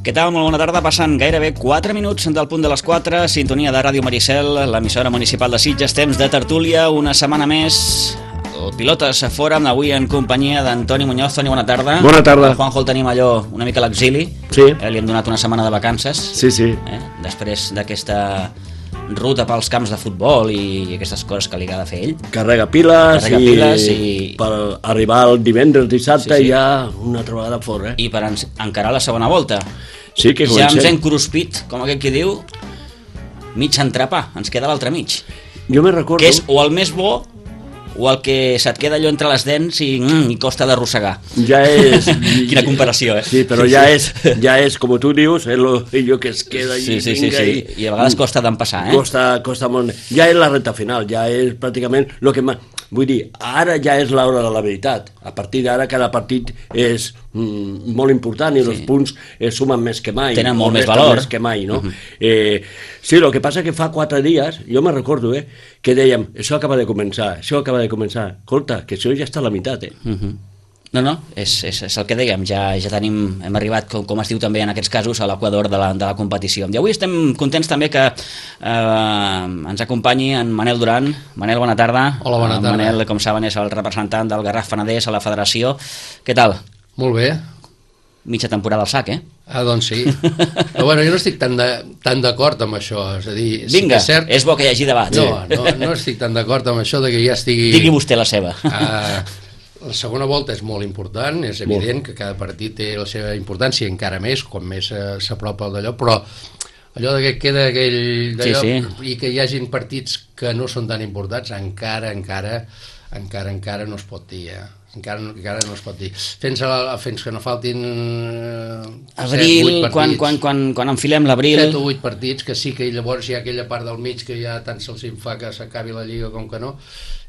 Què tal? Molt bona tarda. Passen gairebé 4 minuts del punt de les 4. Sintonia de Ràdio Maricel, l'emissora municipal de Sitges. Temps de tertúlia, una setmana més. El Pilotes Fòrum, avui en companyia d'Antoni Muñoz. Toni, bona tarda. Bona tarda. El Juanjo el tenim allò una mica a l'exili. Sí. Li hem donat una setmana de vacances. Sí. Després d'aquesta ruta pels camps de futbol i aquestes coses que li agrada fer ell. Carrega piles i per arribar el divendres, dissabte, sí. Ja una altra vegada fora. I per encarar la segona volta. Sí, que ja ens hem cruspit, com aquell que diu, mig entrepà, ens queda l'altre mig. Jo me recordo... Que és o el més bo o el que se't queda allò entre les dents i costa d'arrossegar. Ja és... Quina comparació, eh? Sí, però ja és, com tu dius, allò que es queda i vinga. I a vegades costa d'empassar, eh? Costa molt. Ja és la recta final, ja és pràcticament el que... Vull dir, ara ja és l'hora de la veritat. A partir d'ara cada partit és molt important i els punts sumen més que mai. Tenen molt més valor. Més que mai, no? Sí, el que passa que fa 4 dies, jo me recordo, que dèiem, això acaba de començar. Escolta, que això ja està a la meitat, No, és el que dèiem, ja hem arribat, com es diu també en aquests casos, a l'equador de la competició. I avui estem contents també que ens acompanyi en Manel Duran. Manel, bona tarda. Hola, bona tarda. Manel, com saben, és el representant del Garraf Penedès a la federació. Què tal? Molt bé. Mitja temporada al sac, eh? Doncs sí. Però bueno, jo no estic tan d'acord amb això. És a dir, vinga, sí que és bo que hi hagi debat. No estic tan d'acord amb això de que ja estigui... Digui vostè la seva. La segona volta és molt important, és evident que cada partit té la seva importància, encara més, com més s'apropa d'allò, però allò que queda aquell d'allò, i que hi hagin partits que no són tan importants, encara no es pot dir, encara no es pot dir. Fins que no faltin abril, quan enfilem l'abril... 7 o 8 partits, que sí que llavors hi ha aquella part del mig que ja tant se'ls fa que s'acabi la Lliga com que no.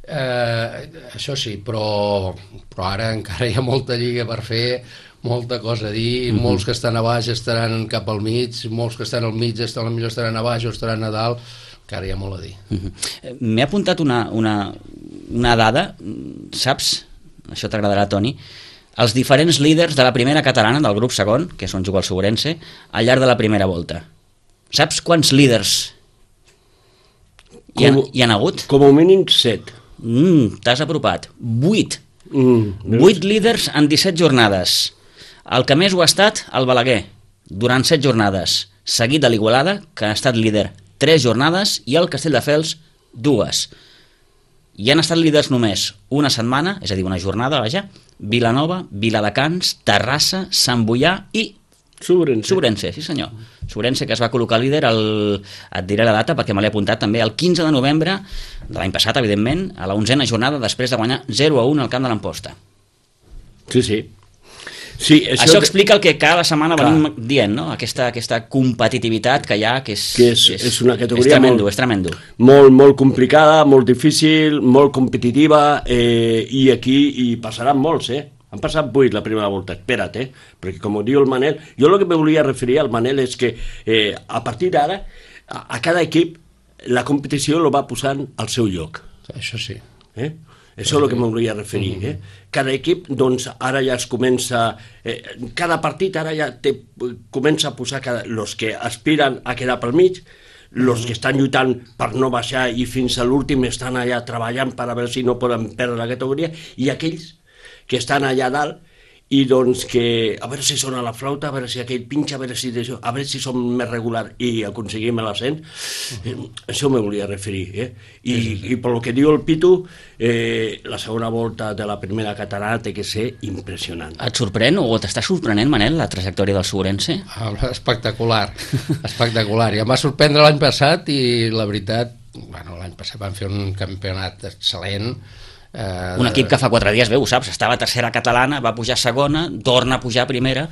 Això sí, però ara encara hi ha molta lliga per fer, molta cosa a dir, molts que estan a baix estaran cap al mig, molts que estan al mig potser estaran a baix o estaran a dalt, encara hi ha molt a dir. M'he apuntat una dada, saps? Això t'agradarà, Toni. Els diferents líders de la primera catalana, del grup segon, que és on juga el Segurense, al llarg de la primera volta. Saps quants líders hi han hagut? Com a mínim 7. T'has apropat. 8. 8 líders en 17 jornades. El que més ho ha estat, el Balaguer, durant 7 jornades, seguit de l'Igualada, que ha estat líder 3 jornades, i el Castelldefels 2. I han estat líders només una setmana, és a dir, una jornada, vaja, Vilanova, Viladecans, Terrassa, Sant Boià i Segurense, sí senyor. Segurense, que es va col·locar líder, et diré la data perquè me l'he apuntat també, el 15 de novembre de l'any passat, evidentment, a la 11a jornada, després de guanyar 0-1 al camp de l'Amposta. Sí, això explica el que cada setmana venim dient, no? Aquesta competitivitat que hi ha, que és una categoria és tremendo. Molt complicada, molt difícil, molt competitiva, i aquí hi passaran molts, Han passat 8 la primera volta, espera't, perquè com ho diu el Manel, jo el que me volia referir al Manel és que a partir d'ara, a cada equip, la competició lo va posant al seu lloc. Això sí. Això és el que me volia referir. Cada equip, doncs, ara ja es comença... cada partit ara ja comença a posar els que aspiren a quedar pel mig, els que estan lluitant per no baixar i fins a l'últim estan allà treballant per a veure si no poden perdre la categoria, i aquells que estan allà dalt i doncs que a veure si sona la flauta, a veure si aquell pinxa, a veure si som més regular i aconseguim l'ascens. Això me volia referir. I pel que diu el Pitu, la segona volta de la primera catalana té que ser impressionant. Et sorprèn o t'està sorprenent, Manel, la trajectòria del Segurense? Espectacular. I em va sorprendre l'any passat i la veritat, l'any passat van fer un campionat excel·lent. Un equip que fa 4 dies, ho saps, estava a tercera catalana, va pujar a segona, torna a pujar a primera.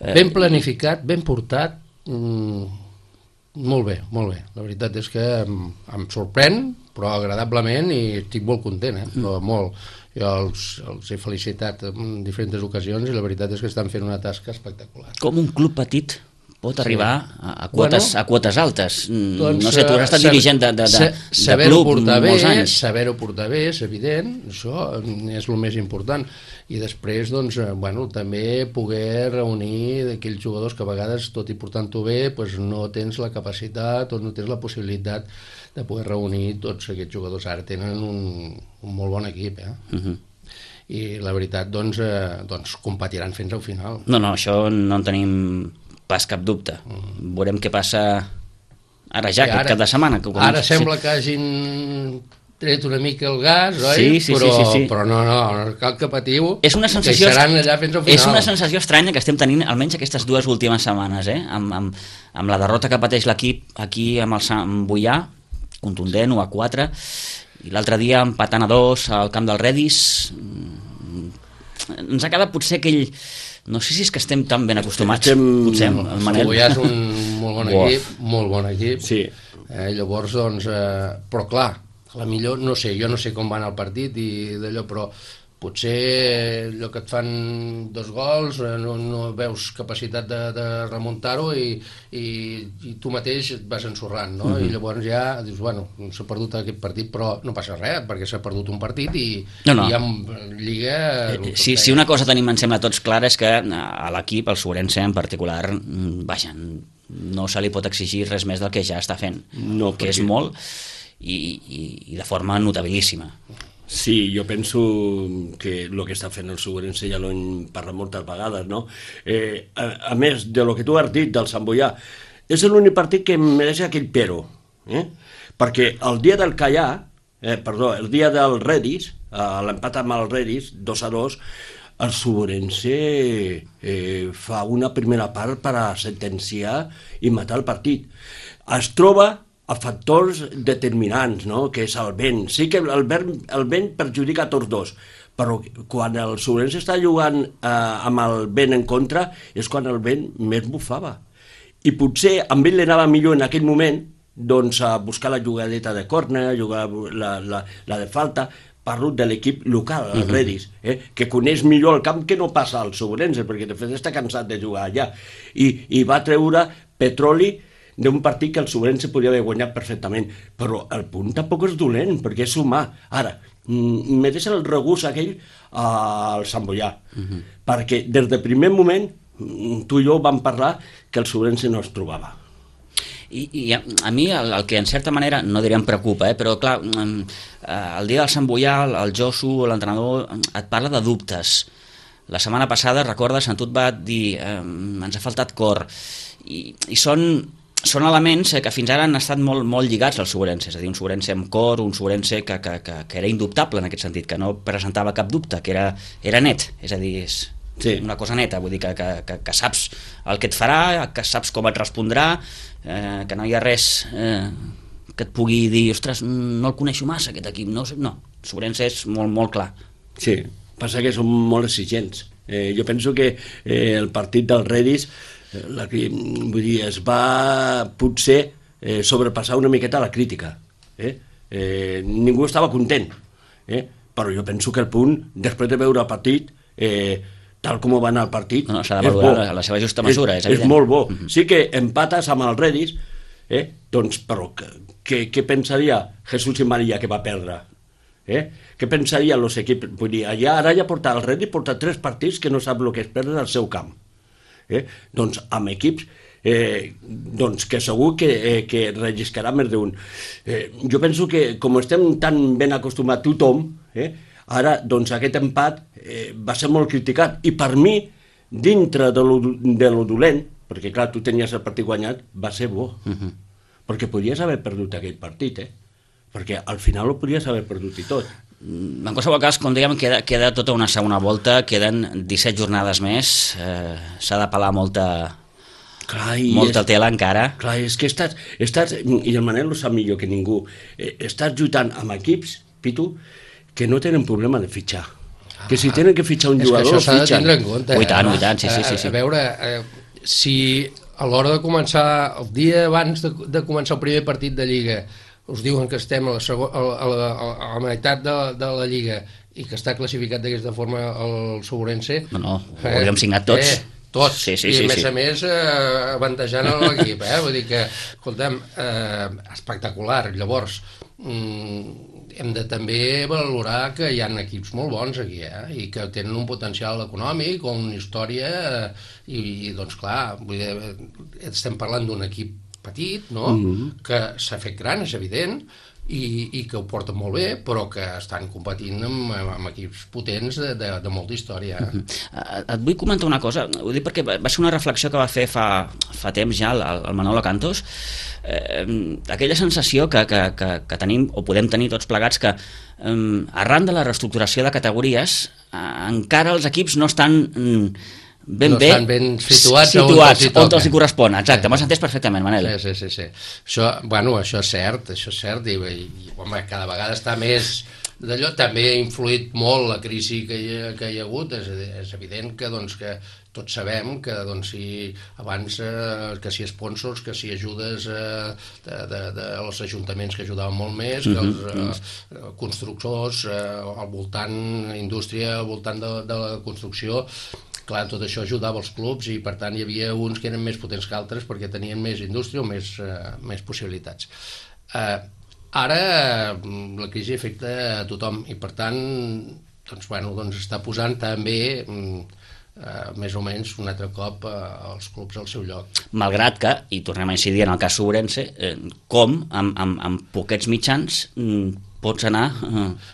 Ben planificat, ben portat, molt bé. La veritat és que em sorprèn, però agradablement, i estic molt content, però molt. Jo els he felicitat en diferents ocasions i la veritat és que estan fent una tasca espectacular. Com un club petit pot arribar a quotes altes. No sé, tu has estat dirigent de club molts anys. Saber-ho portar bé, és evident, això és el més important. I després, doncs, també poder reunir d'aquells jugadors que a vegades, tot i portant-ho bé, no tens la capacitat o no tens la possibilitat de poder reunir tots aquests jugadors. Ara tenen un molt bon equip, i la veritat, doncs competiran fins al final. No, això no en tenim pas cap dubte. Veurem què passa ara ja, aquest cap de setmana. Ara sembla que hagin tret una mica el gas, oi? Sí. Però no, cal que patiu, és una sensació, que seran allà fins al final. És una sensació estranya que estem tenint, almenys aquestes 2 últimes setmanes, amb la derrota que pateix l'equip aquí amb el Sant Boià, contundent, 1-4, i l'altre dia empatant a 2 al camp del Redis. Ens ha quedat potser aquell... No sé si és que estem tan ben acostumats, potser, el Manel. Ja és un molt bon equip. Sí. Llavors, doncs... Però clar, jo no sé com va anar el partit i d'allò, però potser allò que et fan 2 gols, no veus capacitat de remuntar-ho i tu mateix et vas ensorrant, no? I llavors ja dius, s'ha perdut aquest partit, però no passa res, perquè s'ha perdut un partit i amb Lliga... Si una cosa tenim, em sembla, tots clara, és que a l'equip, el Sobrense en particular, no se li pot exigir res més del que ja està fent, que és molt, i de forma notabilíssima. Sí, jo penso que el que està fent el Sobrense ja l'ho hem parlat moltes vegades, no? A més de lo que tu has dit del Sant Boià, és l'únic partit que mereix aquell però, perquè el dia del Callà, el dia del Redis, l'empat amb el Redis, 2-2, el Sobrense fa una primera part per a sentenciar i matar el partit. Es troba a factors determinants, no? Que és el vent. Sí que el vent perjudica a tots 2, però quan el Sobrense està jugant amb el vent en contra és quan el vent més bufava. I potser amb ell li anava millor en aquell moment doncs, a buscar la jugadeta de córner, jugar la de falta. Parlo de l'equip local, el Redis, que coneix millor el camp que no passa al Sobrense, perquè de fet està cansat de jugar allà. I va treure petroli d'un partit que el Sobrense podia haver guanyat perfectament, però el punt tampoc és dolent, perquè és humà. Ara, mereix el regust aquell al Sant Boià, perquè des del primer moment tu i jo vam parlar que el Sobrense no es trobava. I a mi el que en certa manera, no diré em preocupa, però clar, el dia del Sant Boià, el Josu, l'entrenador, et parla de dubtes. La setmana passada, recordes, en tu et va dir ens ha faltat cor, i són elements que fins ara han estat molt lligats al Sobrense, és a dir, un Sobrense amb cor, un Sobrense que era indubtable en aquest sentit, que no presentava cap dubte, que era net, és a dir, és una cosa neta, vull dir que saps el que et farà, que saps com et respondrà, que no hi ha res que et pugui dir, ostres, no el coneixo massa aquest equip, no, el Sobrense és molt clar. Sí, passa que són molt exigents. Jo penso que el partit del Redis vull dir, es va potser sobrepassar una miqueta la crítica. Ningú estava content, però jo penso que el punt, després de veure el partit, tal com va anar el partit, s'ha de valorar la seva justa mesura, és evident. És molt bo. Sí que empates amb el Redis, doncs, però què pensaria Jesús i Maria que va perdre? Què pensaria els equips? Vull dir, ara ja porta el Redis, porta 3 partits que no sap el que és perdre al seu camp. Doncs amb equips doncs que segur que relliscarà més d'un. Jo penso que com estem tan ben acostumats tothom, ara doncs aquest empat va ser molt criticat, i per mi dintre de lo dolent, perquè clar, tu tenies el partit guanyat, va ser bo, perquè podies haver perdut aquell partit, perquè al final ho podies haver perdut i tot. En qualsevol cas, com dèiem, queda tota una segona volta, queden 17 jornades més, s'ha de pelar molta tela encara. Clar, és que estàs, i el Manel ho sap millor que ningú, estàs lluitant amb equips, Pitu, que no tenen problema de fitxar. Que si tenen que fitxar un jugador, fitxen. És que això s'ha de tindre en compte. I tant, sí. A veure, si a l'hora de començar, el dia abans de començar el primer partit de Lliga, us diuen que estem a la meitat de la Lliga i que està classificat d'aquesta forma el Sobrense... No, ho havíem signat tots. tots, Sí, i a més avantatjant l'equip, vull dir que, escolta'm, espectacular. Llavors, hem de també valorar que hi ha equips molt bons aquí, i que tenen un potencial econòmic o una història, i doncs clar, vull dir, estem parlant d'un equip petit, no? Que s'ha fet gran, és evident, i que ho porten molt bé, però que estan competint amb equips potents de molta història. Et vull comentar una cosa, ho dic perquè va ser una reflexió que va fer fa temps ja el Manolo Cantos, aquella sensació que tenim, o podem tenir tots plegats, que arran de la reestructuració de categories encara els equips no estan ben situats on els correspon. Exacte, m'has entès perfectament, Manel. Sí. Això és cert, i home, cada vegada està més d'allò. També ha influït molt la crisi que hi ha hagut. És evident que tots sabem que abans que si sponsors, que si ajudes dels ajuntaments que ajudaven molt més, que els constructors al voltant, indústria al voltant de la construcció, clar, tot això ajudava els clubs, i per tant hi havia uns que eren més potents que altres perquè tenien més indústria o més possibilitats. Ara la crisi afecta a tothom, i per tant està posant també més o menys un altre cop els clubs al seu lloc. Malgrat que, i tornem a incidir en el cas Sobrense, com amb poquets mitjans pots anar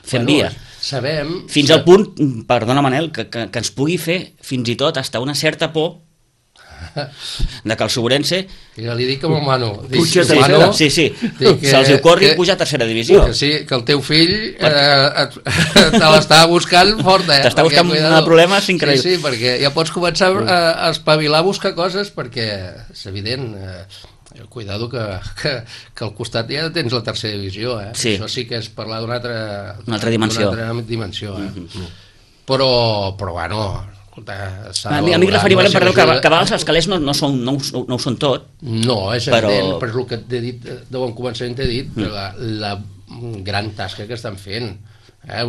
fent via. Sabem... Fins al punt, perdona Manel, que ens pugui fer fins i tot hasta una certa por de que el Sobrense... Ja li dic amb el Manu. Sí, se'ls ocorri pujar a tercera divisió. Que el teu fill te l'està buscant fort, T'està buscant problemes increïbles. Sí, perquè ja pots començar a espavilar a buscar coses, perquè és evident... Cuidado que al costat ja tens la tercera divisió, Sí. Això sí que és parlar d'una altra dimensió. Però bueno, escolta, a mi referia, perdó, que a vegades els calés no ho són tot. No, és evident, però és el que t'he dit de bon començament, t'he dit la gran tasca que estan fent,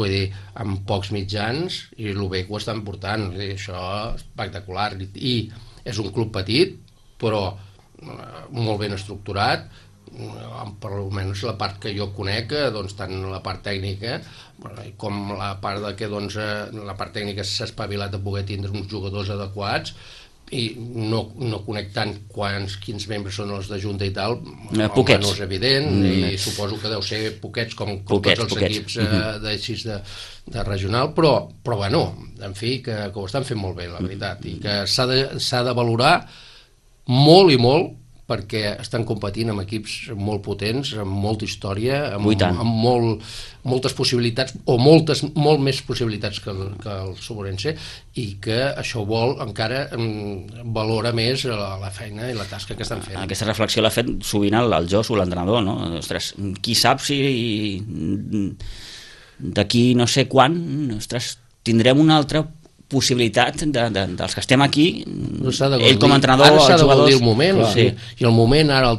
vull dir, amb pocs mitjans, i el bé que ho estan portant, això és espectacular, i és un club petit, però molt ben estructurat, per almenys la part que jo conec, tant la part tècnica com la part que la part tècnica s'ha espavilat a poder tindre uns jugadors adequats, i no conec tant quins membres són els de Junta i tal, poquets. No és evident, i suposo que deu ser poquets com tots els equips de regional, però bueno, en fi, que ho estan fent molt bé, la veritat, i que s'ha de valorar molt i molt, perquè estan competint amb equips molt potents, amb molta història, amb moltes possibilitats, o molt més possibilitats que el Sobrense, i que això encara valora més la feina i la tasca que estan fent. Aquesta reflexió l'ha fet sovint el Josu, l'entrenador, no? Ostres, qui sap si d'aquí no sé quan, tindrem una altra possibilitat dels que estem aquí, ell com a entrenador, els jugadors... Ara s'ha de gaudir el moment, i el moment ara el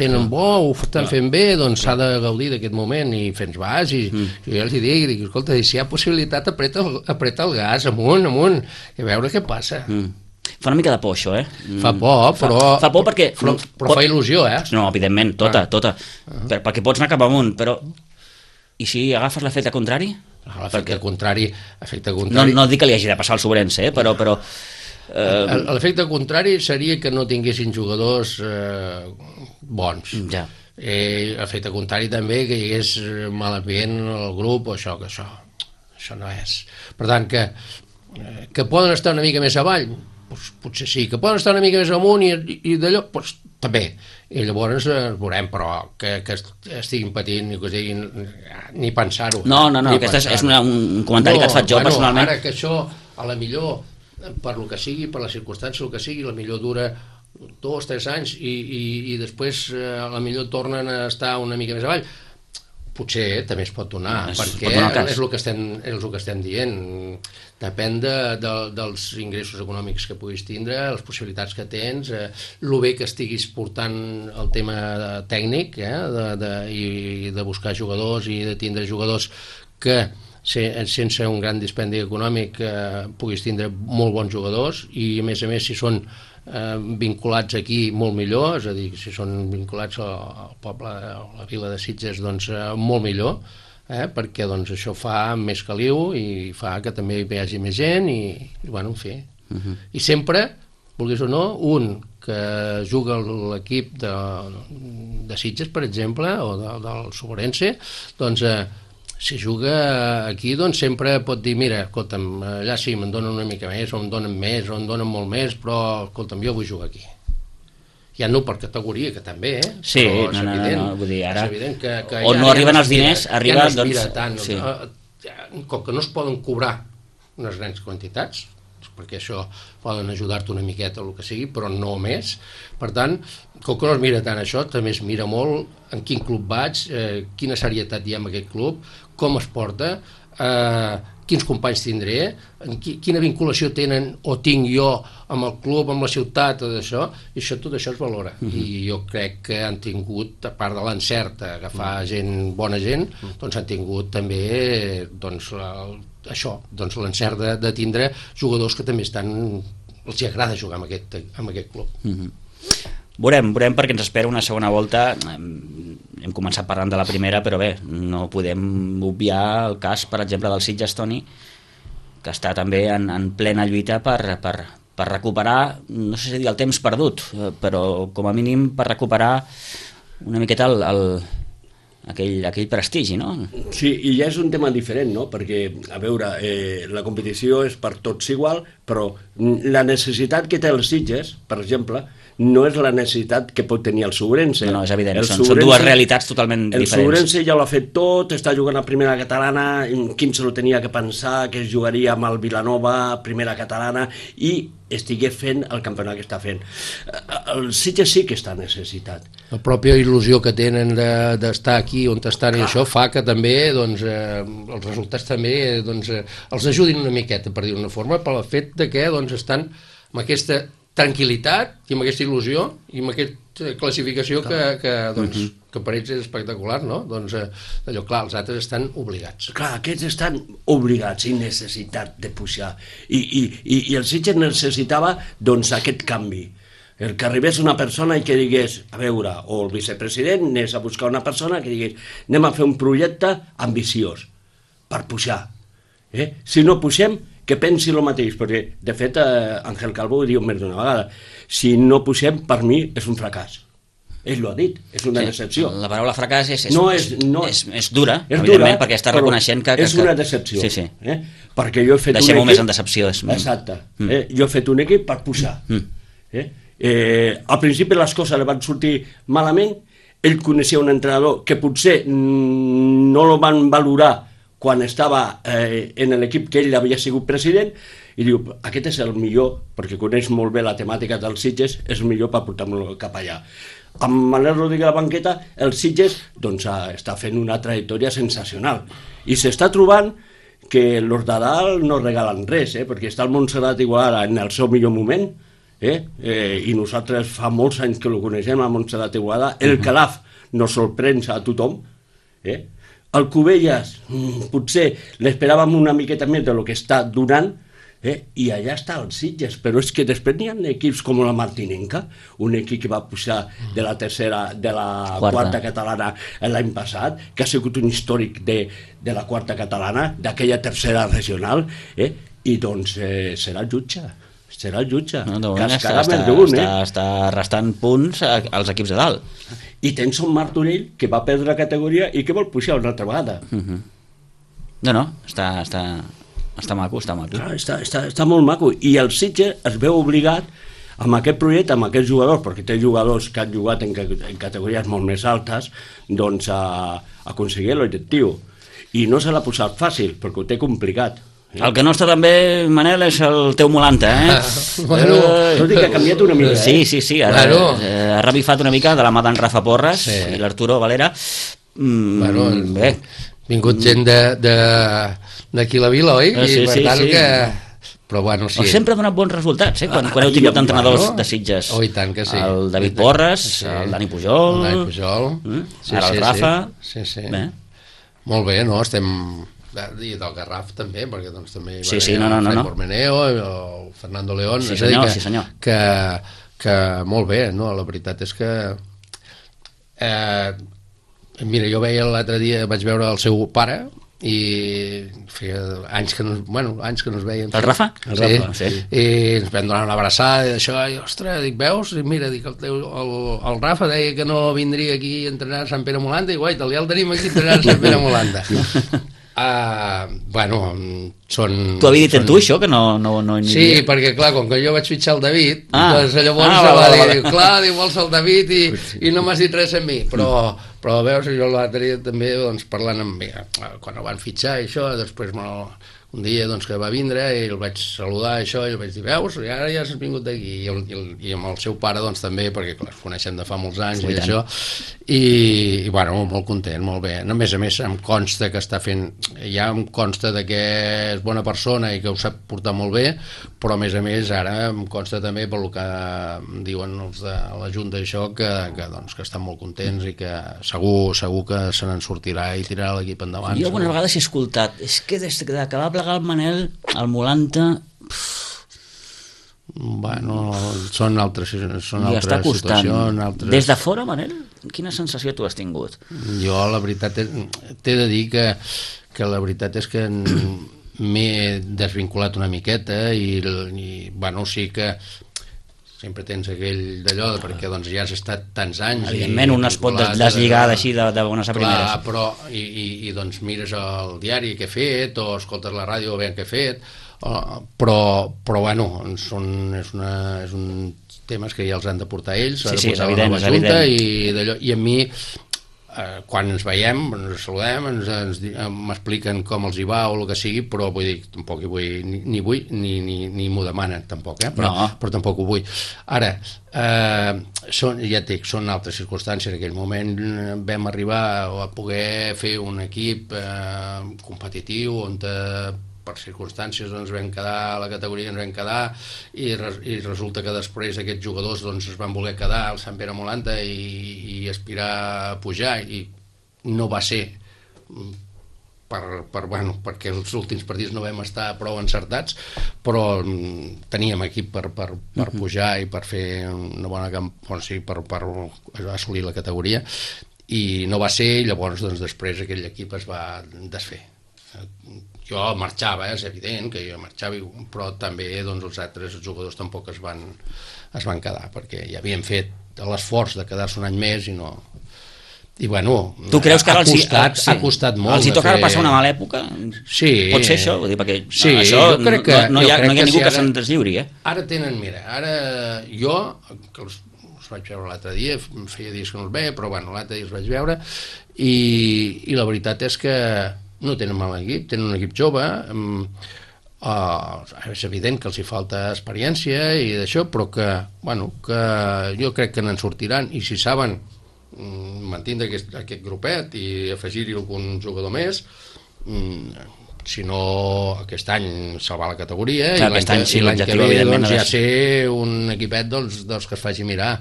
tenen bo, ho estan fent bé, doncs s'ha de gaudir d'aquest moment, i fent vas, i jo els dic, escolta, si hi ha possibilitat, apreta el gas, amunt, i a veure què passa. Fa una mica de por, això, Fa por, però... Fa por perquè... Però fa il·lusió, No, evidentment, tota. Perquè pots anar cap amunt, però... I si agafes l'efecte contrari? L'efecte contrari... No dic que li hagi de passar al Sobrense, però... L'efecte contrari seria que no tinguessin jugadors bons. Ja. L'efecte contrari també que hi hagués mal ambient al grup, o això no és. Per tant, que poden estar una mica més avall, doncs potser sí. Que poden estar una mica més amunt i d'allò, doncs també. I llavors veurem, però que estiguin patint i que diguin ni pensar-ho. No, aquest és un comentari que et faig jo personalment. Ara que això, a la millor, per lo que sigui, per la circumstància, el que sigui, la millor dura 2 o 3 anys i després a la millor tornen a estar una mica més avall, potser també es pot donar, perquè és el que estem dient. Depèn dels ingressos econòmics que puguis tindre, les possibilitats que tens, el bé que estiguis portant el tema tècnic, i de buscar jugadors i de tindre jugadors que sense un gran dispendi econòmic puguis tindre molt bons jugadors i a més si són vinculats aquí molt millor, és a dir, si són vinculats al poble, a la vila de Sitges, doncs molt millor, perquè doncs, això fa més caliu i fa que també hi hagi més gent i bueno, en fi. I sempre, vulguis o no, un que juga l'equip de Sitges, per exemple, o del Sobrense, doncs si juga aquí, doncs sempre pot dir, mira, escolta'm, allà sí, me'n donen una mica més, o em donen més, o em donen molt més, però, escolta'm, jo vull jugar aquí. Ja no per categoria, que també, Sí, però no, vull dir, ara, que on no arriben els diners, arriba, ja no es mira tant, sí. Com que no es poden cobrar unes grans quantitats, perquè això poden ajudar-te una miqueta o el que sigui, però no més. Per tant, com que no es mira tant això, també es mira molt en quin club vaig, quina serietat hi ha en aquest club, com es porta, quins companys tindré, quina vinculació tenen o tinc jo amb el club, amb la ciutat, tot això es valora. I jo crec que han tingut, a part de l'encert d'agafar bona gent, doncs han tingut també això, doncs l'encert de tindre jugadors que també els agrada jugar amb aquest club. Veurem perquè ens espera una segona volta. Hem començat parlant de la primera, però bé, no podem obviar el cas, per exemple, del Sitges, Toni, que està també en plena lluita per recuperar, no sé si dir el temps perdut, però com a mínim per recuperar una miqueta aquell prestigi, no? Sí, i ja és un tema diferent, no? Perquè, a veure, la competició és per tots igual, però la necessitat que té el Sitges, per exemple, no és la necessitat que pot tenir el Sobrense. No, és evident, són dues realitats totalment diferents. El Sobrense ja l'ha fet tot, està jugant a primera catalana, quin se lo tenia que pensar, que es jugaria amb el Vilanova, primera catalana, i estigués fent el campionat que està fent. El Sitges sí que està necessitat. La pròpia il·lusió que tenen d'estar aquí on estan i això fa que també els resultats també els ajudin una miqueta, per dir-ho d'una forma, pel fet de que estan amb aquesta tranquil·litat i amb aquesta il·lusió i amb aquesta classificació que per ells és espectacular, no? Doncs allò, clar, els altres estan obligats. Clar, aquests estan obligats i necessitat de pujar. I el Sitges necessitava, doncs, aquest canvi. El que arribés una persona i que digués, a veure, o el vicepresident anés a buscar una persona que digués, anem a fer un projecte ambiciós per pujar. Si no pugem, que pensi el mateix, perquè, de fet, Ángel Calvo ho diu més d'una vegada, si no pugem, per mi, és un fracàs. Ell l'ha dit, és una decepció. La paraula fracàs és dura, és evidentment, dura, perquè està reconeixent que... És una decepció. Sí. Perquè jo he fet deixem-ho més en decepció. Exacte. Jo he fet un equip per pujar. Al principi les coses li van sortir malament, ell coneixia un entrenador que potser no el van valorar quan estava en l'equip que ell havia sigut president, i diu, aquest és el millor, perquè coneix molt bé la temàtica dels Sitges, és el millor per portar-lo cap allà. Amb Manel Rodríguez a la banqueta, el Sitges està fent una trajectòria sensacional, i s'està trobant que els de dalt no regalen res, perquè està el Montserrat Igualada en el seu millor moment, i nosaltres fa molts anys que el coneixem, a Montserrat Igualada, el Calaf no sorprèn a tothom, el Cubelles potser l'esperàvem una miqueta més del que està donant, i allà està el Sitges, però és que després n'hi ha equips com la Martinenca, un equip que va pujar de la quarta catalana l'any passat, que ha sigut un històric de la quarta catalana, d'aquella tercera regional, i doncs serà el jutge. Està restant punts als equips de dalt. I tens un Martorell que va perdre la categoria i que vol pujar una altra vegada. No, està maco. Està molt maco. I el Sitges es veu obligat amb aquest projecte, amb aquests jugadors, perquè té jugadors que han jugat en categories molt més altes, doncs a aconseguir l'objectiu. I no se l'ha posat fàcil, perquè ho té complicat. El que no està tan bé, Manel, és el teu Molanta, Tot i que ha canviat una mica. Sí, ha revifat una mica de la mà d'en Rafa Porres i l'Arturo Valera. Bé. Vingut gent d'aquí la vila, oi? I per tant que... Però bueno, sí. Sempre ha donat bons resultats, quan heu tingut entrenadors de Sitges. Oh, i tant que sí. El David Porres, el Dani Pujol... Ara el Rafa... Sí. Molt bé, no? Estem i del Garraf també, perquè doncs també sí, no. Bormeneo, el Fernando León, sí, senyor. Que molt bé, no? La veritat és que mira, jo veia l'altre dia, vaig veure el seu pare i feia anys que no es veien. El Rafa? El Rafa, sí. I ens vam donar una abraçada i això, i ostres, dic, veus? I mira, dic, el Rafa deia que no vindria aquí a entrenar a Sant Pere Molanda i guai, ja el tenim aquí a entrenar a Sant Pere Molanda. Tu havies dit tu això, que no sí, perquè clar, com que jo vaig fitxar el David, doncs llavors clar, vols el David i no m'has dit res a mi, però veus, jo l'altre dia també parlant amb mi, quan el van fitxar i això, després un dia que va vindre i el vaig saludar i el vaig dir, veus, i ara ja has vingut d'aquí, i amb el seu pare també, perquè clar, es coneixem de fa molts anys i això, i bueno, molt content, molt bé. A més em consta que està fent, ja em consta que és bona persona i que ho sap portar molt bé, però a més ara em consta també pel que diuen els de la Junta això, que estan molt contents i que segur que se n'en sortirà i tirarà l'equip endavant. Jo algunes vegades he escoltat, és que des que va plegar el Manel, el Molanta... Bueno, són altres situacions. Des de fora, Manel, quina sensació tu has tingut? Jo, la veritat, t'he de dir que la veritat és que m'he desvinculat una miqueta i bueno, sí que sempre tens aquell d'allò, perquè ja has estat tants anys. Evidentment, un es pot deslligar així de bones a primeres. Clar, però i mires el diari que he fet, o escoltes la ràdio a veure què he fet, però bueno, és un temes que ja els han de portar ells, sí, és evident. I a mi, quan ens veiem, ens saludem, m'expliquen com els hi va o el que sigui, però vull dir, tampoc hi vull, ni m'ho demanen tampoc, però tampoc ho vull. Ara, ja et dic, són altres circumstàncies. En aquell moment vam arribar a poder fer un equip competitiu on per circumstàncies ens vam quedar a la categoria, ens vam quedar i resulta que després aquests jugadors es van voler quedar al Sant Pere Molanda i aspirar a pujar, i no va ser perquè els últims partits no vam estar prou encertats, però teníem equip per pujar i per fer una bona campanya, per assolir la categoria, i no va ser, i llavors després aquell equip es va desfer. Jo marxava, és evident que jo marxava, però també els altres jugadors tampoc es van quedar, perquè ja havien fet l'esforç de quedar-se un any més i no... I bueno, tu creus que ha costat molt. Els hi tocarà passar una mala època? Sí. Pot ser això? Vull dir, perquè sí, això jo crec que no hi ha ningú que se'n deslliuri, Ara tenen, mira, jo, que els vaig veure l'altre dia, feia dies que no els veia, però bueno, l'altre dia els vaig veure, i la veritat és que no tenen mal equip, tenen un equip jove, és evident que els hi falta experiència i d'això, però que jo crec que n'en sortiran, i si saben mantindre aquest grupet i afegir-hi algun jugador més, si no aquest any salvar la categoria, i l'any que ve ja ser un equipet dels que es faci mirar,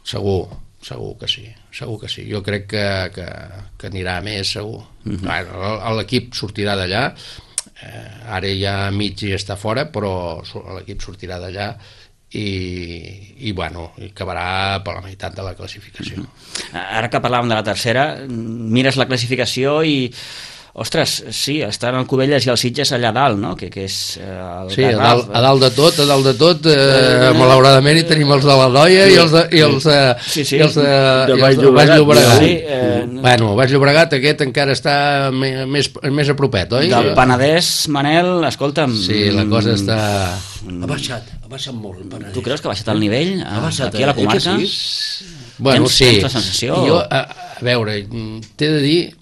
segur que sí. Jo crec que anirà més, segur. L'equip sortirà d'allà, ara ja mig està fora, però l'equip sortirà d'allà i acabarà per la meitat de la classificació. Ara que parlàvem de la tercera, mires la classificació i ostres, sí, estan el Cubelles i el Sitges allà dalt, no? Que és el sí, a dalt de tot, malauradament hi tenim els de la Noia i els de Baix Llobregat. Baix Llobregat aquest encara està més a propet, oi? Del Penedès, Manel, escolta'm... Sí, la cosa està... Ha baixat molt el Penedès. Tu creus que ha baixat el nivell aquí a la comarca? Bueno, sí. Tens la sensació? Jo, a veure, t'he de dir,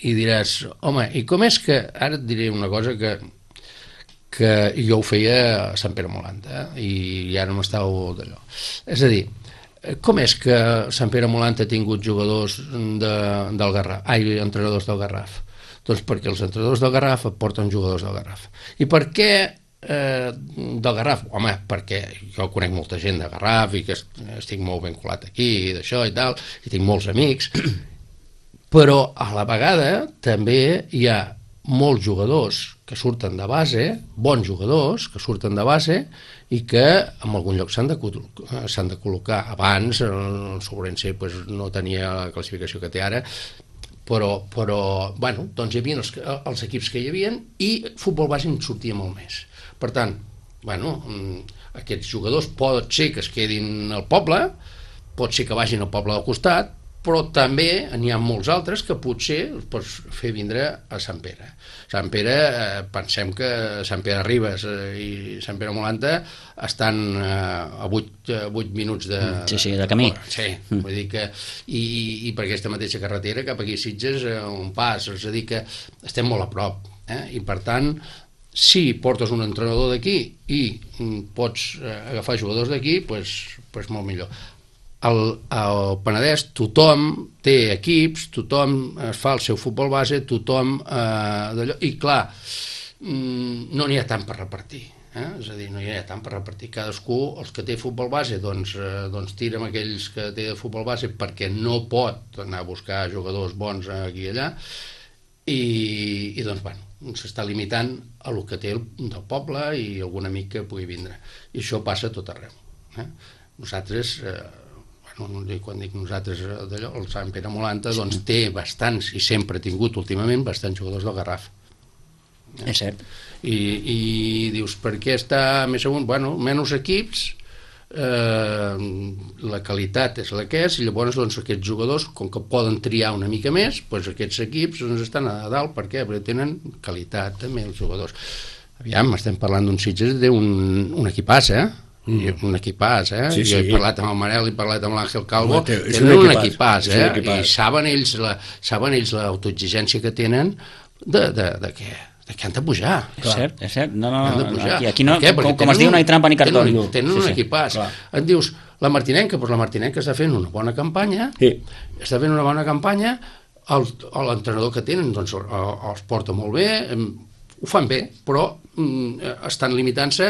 i diràs, home, i com és que... Ara et diré una cosa que jo ho feia a Sant Pere Molanda, i ara m'estàu d'allò. És a dir, com és que Sant Pere Molanda ha tingut jugadors del Garraf, entrenadors del Garraf? Doncs perquè els entrenadors del Garraf porten jugadors del Garraf. I per què del Garraf? Home, perquè jo conec molta gent de Garraf i que estic molt vinculat aquí i d'això i tal, i tinc molts amics, però a la vegada també hi ha molts jugadors que surten de base, bons jugadors que surten de base i que en algun lloc s'han de col·locar. Abans el Sobrense no tenia la classificació que té ara, però bueno, doncs hi havia els equips que hi havia i futbol base en sortia molt més. Per tant, bueno, aquests jugadors pot ser que es quedin al poble, pot ser que vagin al poble del costat, però també n'hi ha molts altres que potser els pots fer vindre a Sant Pere. Sant Pere, pensem que Sant Pere Ribes i Sant Pere Molanta estan a 8 minuts de... Sí, de camí. Sí, vull dir que... I per aquesta mateixa carretera cap aquí a Sitges un pas, és a dir que estem molt a prop, i per tant, si portes un entrenador d'aquí i pots agafar jugadors d'aquí, doncs molt millor. Al Penedès tothom té equips, tothom es fa el seu futbol base, tothom d'allò, i clar, no n'hi ha tant per repartir, és a dir, no hi ha tant per repartir. Cadascú, els que té futbol base, doncs tira amb aquells que té futbol base perquè no pot anar a buscar jugadors bons aquí i allà, i doncs, bueno, s'està limitant a el que té del poble i algun amic que pugui vindre. I això passa a tot arreu. Nosaltres... quan dic nosaltres d'allò, el Sant Pere Molanta doncs té bastants, i sempre ha tingut últimament bastants jugadors del Garraf. És cert. I dius, per què està més amunt? Bueno, menys equips, la qualitat és la que és, i llavors doncs aquests jugadors, com que poden triar una mica més, doncs aquests equips estan a dalt. Per què? Perquè tenen qualitat també els jugadors. Aviam, estem parlant d'un Sitges, té un equipàs, un equipàs, Sí. Jo he parlat amb el Manel, he parlat amb l'Àngel Calvo, tenen un equipàs, i saben ells l'autoexigència que tenen de que han de pujar. És cert. No, aquí no, com es diu, no hi ha trampa ni cartó. Tenen un equipàs. Et dius, la Martinenca, doncs la Martinenca està fent una bona campanya, l'entrenador que tenen doncs els porta molt bé, ho fan bé, però estan limitant-se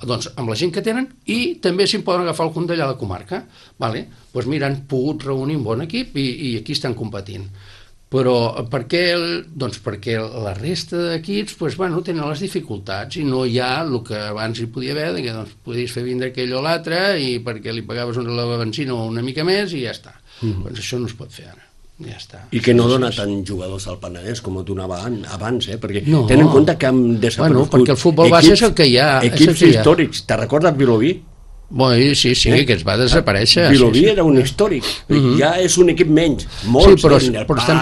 doncs, amb la gent que tenen, i també s'hi poden agafar algun d'allà de la comarca. Doncs mira, han pogut reunir un bon equip i aquí estan competint. Però per què? Doncs perquè la resta d'equips tenen les dificultats i no hi ha el que abans hi podia haver, que podies fer vindre aquell o l'altre i perquè li pagaves la benzina o una mica més i ja està. Doncs això no es pot fer ara. Ja està. I que no dona tant jugadors al Penedès com ho donava abans, perquè tenen en compte que han desaparegut perquè el futbol base és el que hi ha. Equips històrics. Te recordes Vilobí? Sí, que es va desaparèixer. Vilobí era un històric, ja és un equip menys. Sí, però estem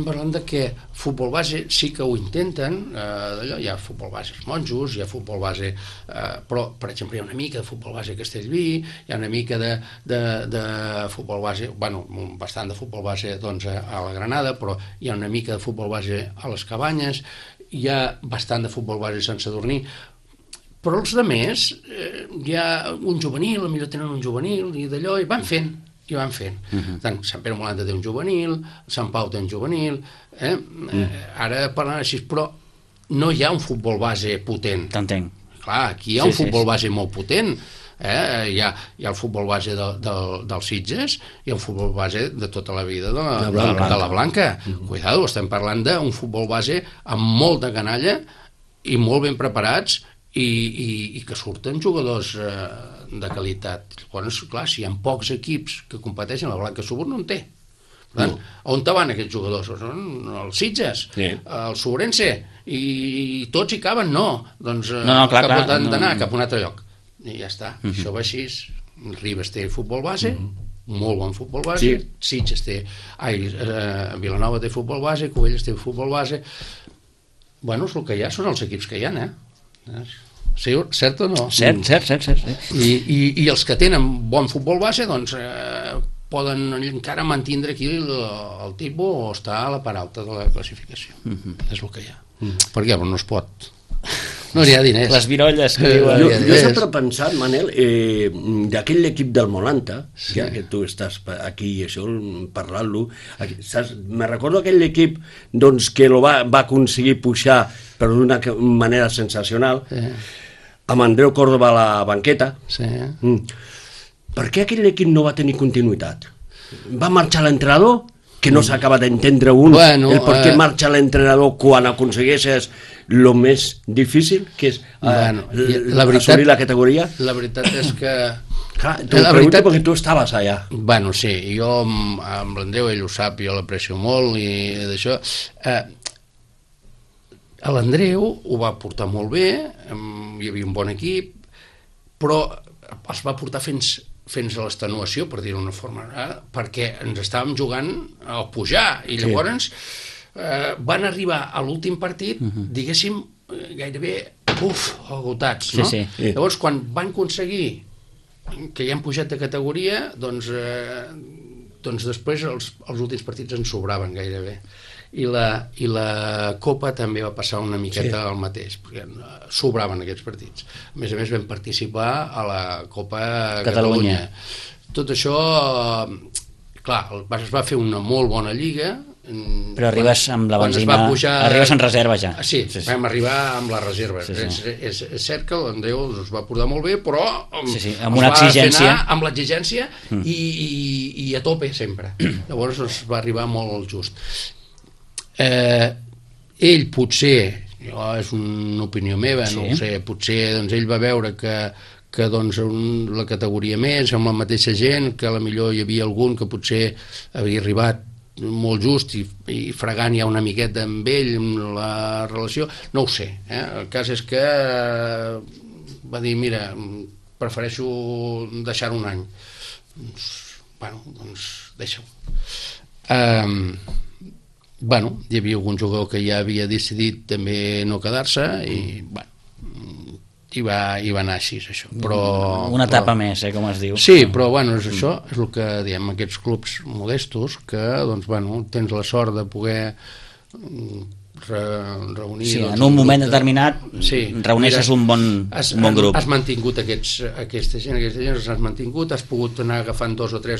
parlant de que futbol base sí que ho intenten, hi ha futbol base monjos, hi ha futbol base, però per exemple hi ha una mica de futbol base a Castellví, hi ha una mica de futbol base, bastant de futbol base a la Granada, però hi ha una mica de futbol base a les Cabanyes, hi ha bastant de futbol base a Sant Sadurní. Però els altres, hi ha un juvenil, potser tenen un juvenil, i d'allò, i van fent. Tant Sant Pere Molanta té un juvenil, Sant Pau té un juvenil, ara parlant així, però no hi ha un futbol base potent. T'entenc. Clar, aquí hi ha un futbol base molt potent, hi ha el futbol base dels Sitges, hi ha un futbol base de tota la vida de la Blanca. Cuidado, estem parlant d'un futbol base amb molta canalla i molt ben preparats, i que surten jugadors de qualitat. Llavors, clar, si hi ha pocs equips que competeixen, la Blanca Subur no en té. On van aquests jugadors? Els Sitges, el Sobrense, i tots hi caben? No, doncs cap d'anar cap a un altre lloc. I ja està, això va així. Ribes té futbol base, molt bon futbol base, Sitges té, Vilanova té futbol base, Cubelles té futbol base. Bueno, és el que hi ha, són els equips que hi ha, cert o no? Cert. I els que tenen bon futbol base doncs poden encara mantindre aquí el tipus o estar a la part alta de la classificació. És el que hi ha. Perquè no es pot, no hi ha diners. Les virolles que diuen. Jo he sempre pensat, Manel, d'aquell equip del Molanta, ja que tu estàs aquí i això, parlant-lo, me recordo aquell equip que va aconseguir pujar però d'una manera sensacional, amb Andreu Córdoba a la banqueta. Per què aquell equip no va tenir continuïtat? Va marxar l'entrenador que no s'acaba d'entendre un, el per què marxa l'entrenador quan aconsegueixes el més difícil, que és assolir la categoria. La veritat és que... Clar, t'ho pregunto perquè tu estaves allà. Bueno, sí, jo amb l'Andreu, ell ho sap, jo l'aprecio molt i d'això... L'Andreu ho va portar molt bé, hi havia un bon equip, però els va portar fins a l'extenuació, per dir-ho d'una forma, perquè ens estàvem jugant a pujar, i llavors van arribar a l'últim partit, diguéssim, gairebé agotats, no? Llavors, quan van aconseguir que ja han pujat de categoria, doncs després els últims partits ens sobraven gairebé. I la Copa també va passar una miqueta el mateix, perquè sobraven aquests partits. A més vam participar a la Copa Catalunya. Tot això, clar, es va fer una molt bona lliga. Però arribes amb la benzina, arribes en reserva ja. Sí, vam arribar amb la reserva. És cert que l'Andreu es va portar molt bé, però amb una exigència, amb l'exigència i a tope sempre. Llavors es va arribar molt just. Ell potser, és una opinió meva, no ho sé, potser ell va veure que la categoria més, amb la mateixa gent, que potser hi havia algun que potser havia arribat molt just i fregant ja una miqueta amb ell, amb la relació, no ho sé. El cas és que va dir, mira, prefereixo deixar-ho un any. Doncs deixa-ho. Hi havia algun jugador que ja havia decidit també no quedar-se i va anar així, això. Una etapa més, com es diu. Sí, però és això, és el que diem, aquests clubs modestos, que tens la sort de poder reunir... Sí, en un moment determinat reuneixes un bon grup. Has mantingut aquesta gent s'has mantingut, has pogut anar agafant dos o tres,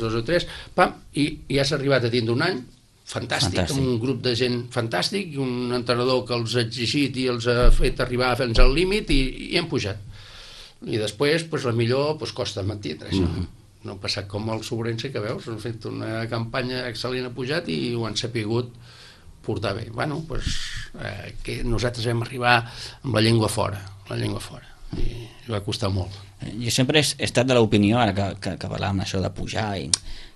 i has arribat a tindre un any fantàstic, amb un grup de gent fantàstic i un entrenador que els ha exigit i els ha fet arribar fins al límit i hem pujat. I després, la millor, costa mantindre això. No ha passat com el Sobrense, que veus, han fet una campanya excel·lent, ha pujat i ho han sapigut portar bé. Que nosaltres vam arribar amb la llengua fora, i va costar molt. Jo sempre he estat de l'opinió, ara que parlàvem això de pujar,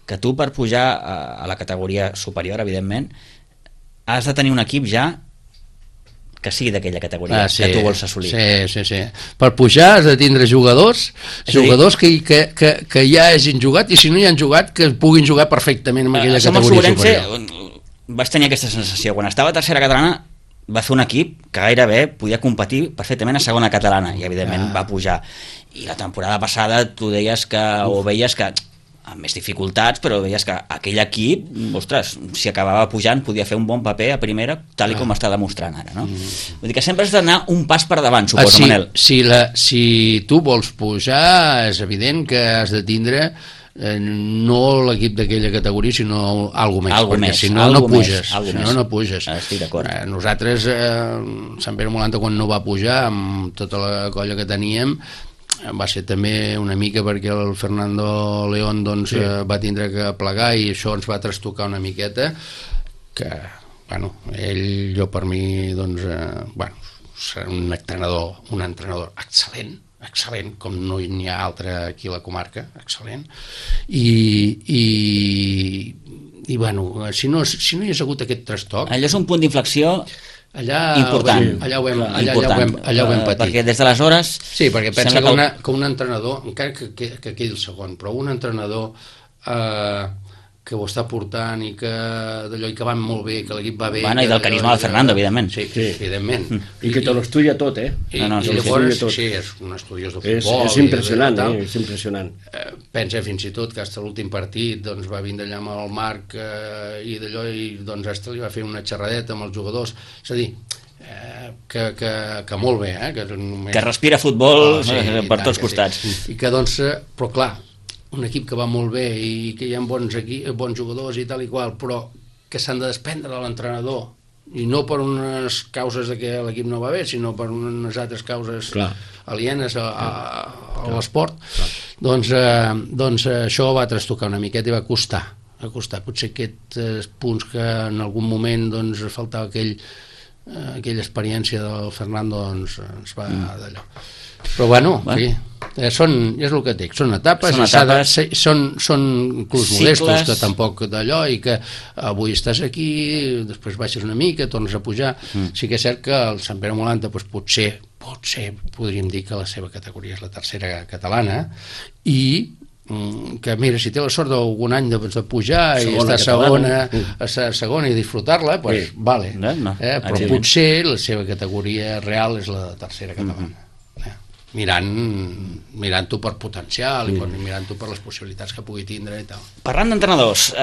que tu per pujar a la categoria superior, evidentment, has de tenir un equip ja que sigui d'aquella categoria que tu vols assolir. Sí. Per pujar has de tindre jugadors que ja hagin jugat, i si no hi han jugat, que puguin jugar perfectament en aquella categoria superior. Vaig tenir aquesta sensació. Quan estava a tercera catalana va fer un equip que gairebé podia competir perfectament a segona catalana, i evidentment va pujar. I la temporada passada tu deies que, o veies que amb més dificultats, però veies que aquell equip, ostres, si acabava pujant podia fer un bon paper a primera, tal com està demostrant ara, no? Vull dir que sempre has d'anar un pas per davant, suposo, Manel. Si tu vols pujar, és evident que has de tindre no l'equip d'aquella categoria, sinó alguna més, perquè si no, no puges. Estic d'acord. Nosaltres, Sant Pere Molanta, quan no va pujar, amb tota la colla que teníem, va ser també una mica perquè el Fernando León va tindre que plegar, i això ens va trastocar una miqueta, que jo per mi serà un entrenador excel·lent, com no n'hi ha altre aquí a la comarca, excel·lent, i si no hi hagués hagut aquest trastoc, allò és un punt d'inflexió important. Allà ho vam patir. Perquè des d'aleshores... Sí, perquè pensa que un entrenador, encara que quedi el segon, però un entrenador que ho està portant i que d'allò, i que va molt bé, que l'equip va bé... I del carisma del Fernando, evidentment. Sí, evidentment. I que te lo estudia tot, I llavors, sí, és un estudiós de futbol. És impressionant, és impressionant. Pensa fins i tot que fins a l'últim partit va vindre allà amb el Marc i d'allò, i hasta li va fer una xerradeta amb els jugadors. És a dir, que molt bé, que respira futbol per tots costats. I que però clar, un equip que va molt bé i que hi ha bons jugadors i tal i qual, però que s'han de desprendre de l'entrenador, i no per unes causes de que l'equip no va bé, sinó per unes altres causes alienes a l'esport, doncs això va trastocar una miqueta i va costar Potser aquests punts que en algun moment doncs, faltava aquella experiència del Fernando doncs, ens va d'allò. Però bueno, sí, és el que et dic, són etapes, són clubs modestos que tampoc d'allò, i que avui estàs aquí, després baixes una mica, tornes a pujar. Sí que és cert que el Sant Pere Molanta doncs, potser podríem dir que la seva categoria és la tercera catalana, i que mira, si té la sort d'algun any de pujar i estar a segona i disfrutar-la, doncs vale, però potser la seva categoria real és la tercera catalana, mirant-ho per potencial i mirant-ho per les possibilitats que pugui tindre i tal. Parlant d'entrenadors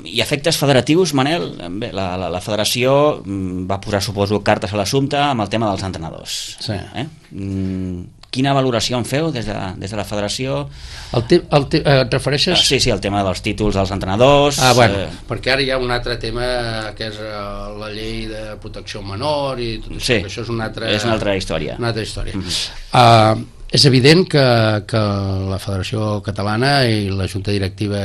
i efectes federatius, Manel, bé, la federació va posar, suposo, cartes a l'assumpte amb el tema dels entrenadors. Sí. Quina valoració en feu des de la federació? Et refereixes? Sí, el tema dels títols dels entrenadors. Bueno, perquè ara hi ha un altre tema que és la llei de protecció menor i tot això, que això és una altra història. És evident que la Federació Catalana i la Junta Directiva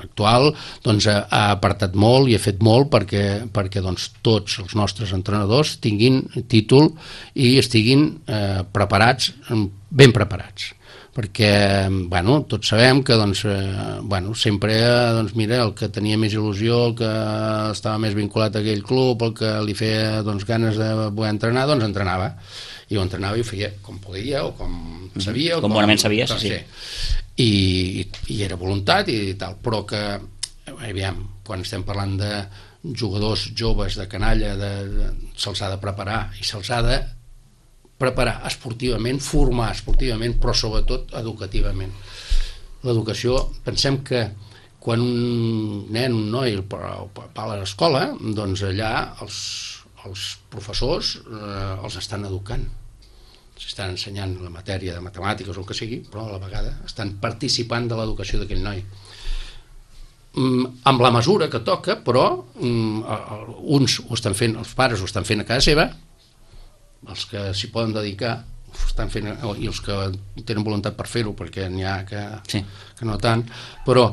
actual doncs, ha apartat molt i ha fet molt perquè doncs, tots els nostres entrenadors tinguin títol i estiguin ben preparats. Perquè tots sabem que sempre mira, el que tenia més il·lusió, el que estava més vinculat a aquell club, el que li feia ganes de poder entrenar, doncs entrenava. I ho entrenava i ho feia com podia o com sabia. Com bonament sabia, sí. I era voluntat i tal, però que, aviam, quan estem parlant de jugadors joves de canalla, se'ls ha de preparar i se'ls ha de preparar esportivament, formar esportivament, però sobretot educativament. L'educació, pensem que quan un nen, un noi va a l'escola, doncs allà els professors els estan educant, s'estan ensenyant la matèria de matemàtiques o el que sigui, però a la vegada estan participant de l'educació d'aquell noi amb la mesura que toca, però uns ho estan fent, els pares ho estan fent a casa seva, els que s'hi poden dedicar ho estan fent, i els que tenen voluntat per fer-ho, perquè n'hi ha que no tant, però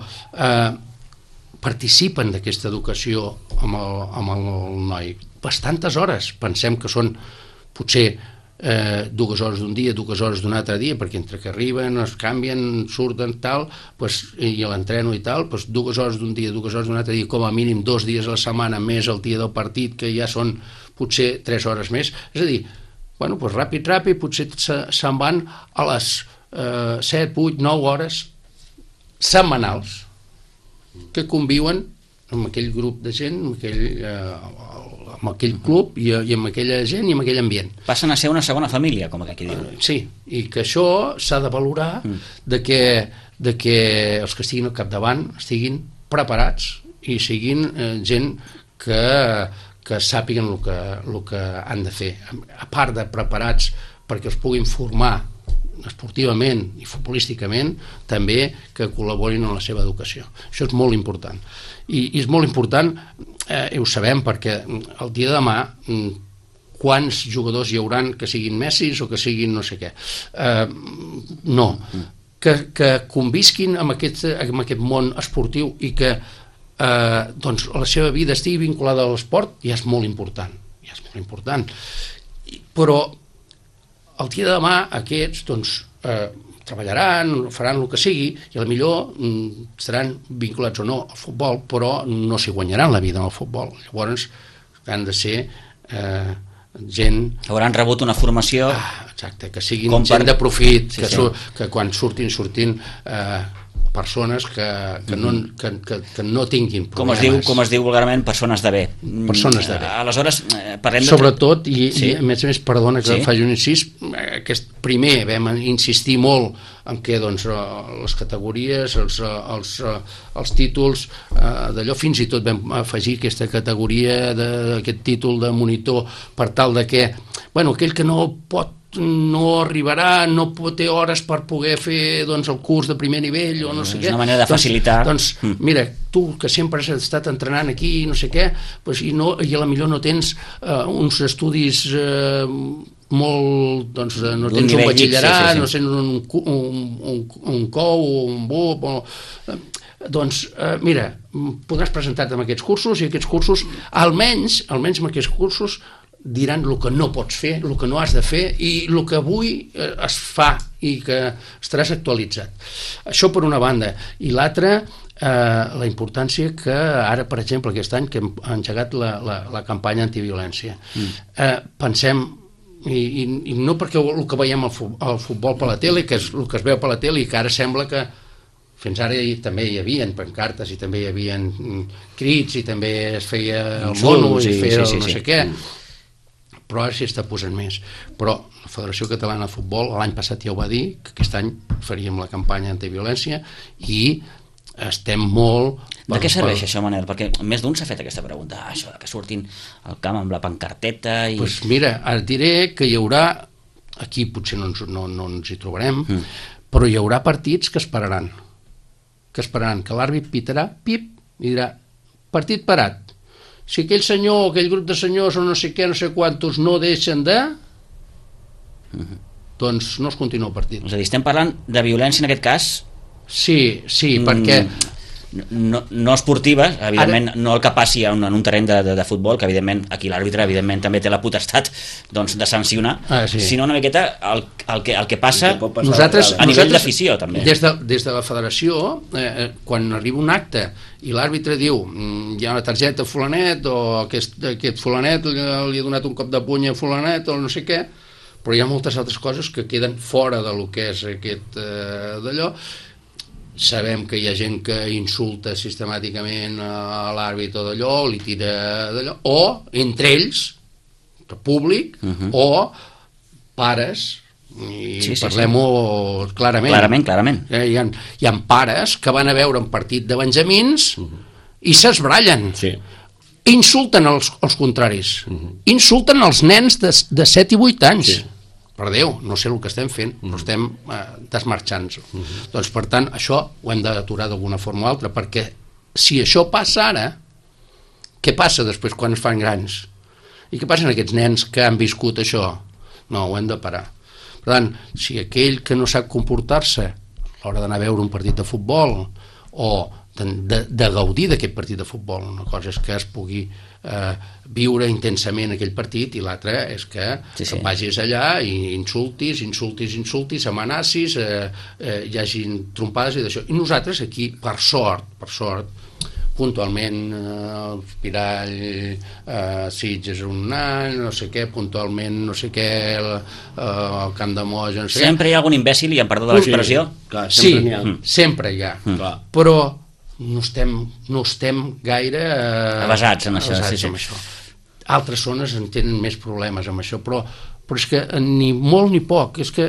participen d'aquesta educació amb el noi bastantes hores. Pensem que són potser 2 hores d'un dia, 2 hores d'un altre dia, perquè entre que arriben, es canvien, surten, tal, i l'entreno i tal, 2 hores d'un dia, 2 hores d'un altre dia, com a mínim 2 dies a la setmana, més el dia del partit, que ja són potser 3 hores més. És a dir, ràpid, potser se'n van a les 7, 8, 9 hores setmanals que conviuen amb aquell grup de gent, amb aquell club i amb aquella gent i amb aquell ambient. Passen a ser una segona família, com aquí diu. Sí, i que això s'ha de valorar de que els que estiguin al capdavant estiguin preparats i siguin gent que sàpiguen el que han de fer. A part de preparats perquè els puguin formar esportivament i futbolísticament, també que col·laborin en la seva educació. Això és molt important. I és molt important, i ho sabem, perquè el dia de demà quants jugadors hi hauran que siguin Messis o que siguin no sé què. No. Que convisquin amb aquest món esportiu i que la seva vida estigui vinculada a l'esport ja és molt important. Però el dia de demà aquests treballaran, faran el que sigui i potser estaran vinculats o no al futbol, però no s'hi guanyaran la vida en el futbol. Llavors han de ser gent... Hauran rebut una formació... Exacte, que siguin gent de profit, que quan surtin persones que no tinguin problemes. Com es diu vulgarment, persones de bé. Persones de bé. Aleshores, parlem de... Sobretot, i a més perdona que faci un incís, primer vam insistir molt en què les categories, els títols, d'allò, fins i tot vam afegir aquesta categoria, aquest títol de monitor, per tal de que, aquell que no arribarà, no té hores per poder fer el curs de primer nivell o no sé què. És una manera de facilitar. Mira, tu que sempre has estat entrenant aquí no sé què, i a la millor no tens uns estudis molt, no tens un batxillerat, no tens un COU o un BUP, doncs, mira, podràs presentar-te amb aquests cursos, i aquests cursos, almenys amb aquests cursos, diran el que no pots fer, el que no has de fer, i el que avui es fa, i que estaràs actualitzat. Això per una banda. I l'altra, la importància que ara, per exemple, aquest any que hem engegat la campanya antiviolència. Pensem, i no perquè el que veiem al futbol per la tele, que és el que es veu per la tele, i que ara sembla que fins ara també hi havia pancartes, i també hi havia crits, i també es feia el mono, i feia no sé què, però ara s'hi està posant més. Però la Federació Catalana de Futbol l'any passat ja ho va dir, que aquest any faríem la campanya antiviolència, i estem molt... De què serveix això, Manel? Perquè més d'un s'ha fet aquesta pregunta, això que surtin al camp amb la pancarteta i... Doncs mira, et diré que hi haurà, aquí potser no ens hi trobarem, però hi haurà partits que esperaran, que l'àrbit pitarà, pip, i dirà, partit parat. Si aquell senyor o aquell grup de senyors o no sé què, no sé quantos no deixen de... doncs no es continua el partit. És a dir, estem parlant de violència en aquest cas... Sí, perquè... No esportiva, evidentment, no el que passi en un terreny de futbol, que evidentment aquí l'àrbitre evidentment també té la potestat de sancionar, sinó una miqueta el que passa a nivell d'afició també. Des de la federació, quan arriba un acte i l'àrbitre diu hi ha una targeta a fulanet, o aquest fulanet li ha donat un cop de puny a fulanet o no sé què, però hi ha moltes altres coses que queden fora del que és aquest d'allò. Sabem que hi ha gent que insulta sistemàticament a l'àrbit o d'allò, li tira d'allò, o entre ells, públic, o pares, i parlem-ho clarament. Clarament. Hi ha pares que van a veure un partit de benjamins i s'esbrallen. Insulten els contraris. Insulten els nens de 7 i 8 anys. Per Déu, no sé el que estem fent, però estem desmarxant-nos. Doncs, per tant, això ho hem d'aturar d'alguna forma o altra, perquè si això passa ara, què passa després quan es fan grans? I què passa amb aquests nens que han viscut això? No, ho hem de parar. Per tant, si aquell que no sap comportar-se a l'hora d'anar a veure un partit de futbol o de gaudir d'aquest partit de futbol, una cosa és que es pugui viure intensament aquell partit, i l'altra és que vagis allà i insultis, amenacis, hi hagin trompades i d'això. I nosaltres aquí, per sort, puntualment el Pirall, Sitges un any, no sé què, puntualment no sé què, el Camp de Moja, no sé què. Sempre hi ha algun imbècil, i em perdó de l'expressió? Sí, sempre hi ha. Però no estem gaire avasats en això. Altres zones en tenen més problemes amb això, però és que ni molt ni poc, és que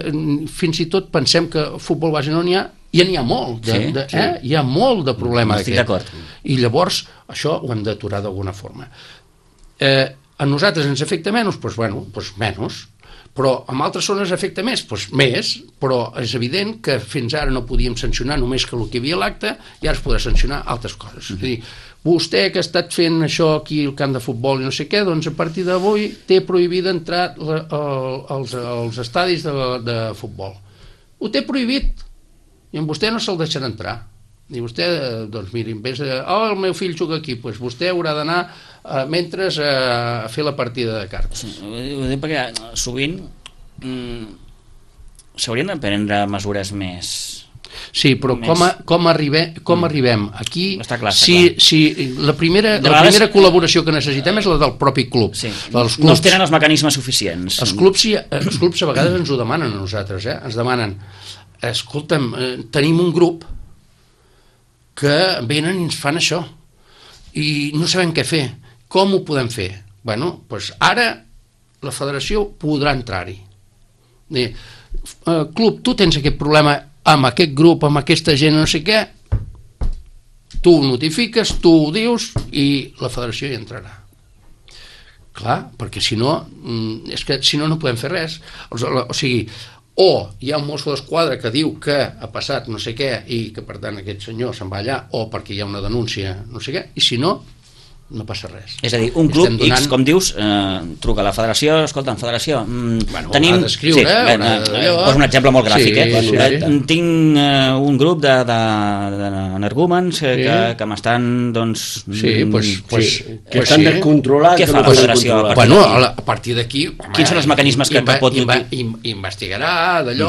fins i tot pensem que futbol base no n'hi ha, i n'hi ha molt, hi ha molt de problema d'aquest. Estic d'acord. I llavors això ho hem d'aturar d'alguna forma. A nosaltres ens afecta menys, doncs menys, però en altres zones afecta més, doncs més, però és evident que fins ara no podíem sancionar només que el que hi havia a l'acte, i ara es podrà sancionar altres coses. És a dir, vostè que ha estat fent això aquí al camp de futbol i no sé què, doncs a partir d'avui té prohibit entrar als estadis de futbol. Ho té prohibit, i amb vostè no se'l deixarà entrar. I vostè, doncs miri, en vez de el meu fill juga aquí, doncs vostè haurà d'anar mentre a fer la partida de cartes. Ho dic perquè sovint s'haurien de prendre mesures més... Sí, però com arribem aquí? Està clar. La primera col·laboració que necessitem és la del propi club. No es tenen els mecanismes suficients. Els clubs a vegades ens ho demanen a nosaltres, ens demanen, escolta'm, tenim un grup que venen i ens fan això i no sabem què fer. Com ho podem fer? Doncs ara la federació podrà entrar-hi. Club, tu tens aquest problema amb aquest grup, amb aquesta gent, no sé què, tu ho notifiques, tu ho dius i la federació hi entrarà. Clar, perquè si no, no podem fer res. O sigui, o hi ha un mosso d'esquadra que diu que ha passat no sé què i que per tant aquest senyor se'n va allà, o perquè hi ha una denúncia, no sé què, i si no, no passa res. És a dir, un club X, com dius, truca a la federació, escolta, federació, tenim... Ha d'escriure... Poso un exemple molt gràfic, tinc un grup d'energúmens que m'estan, doncs... que estan de controlar... Què fa la federació? Bueno, a partir d'aquí... Quins són els mecanismes que pot... Investigarà d'allò...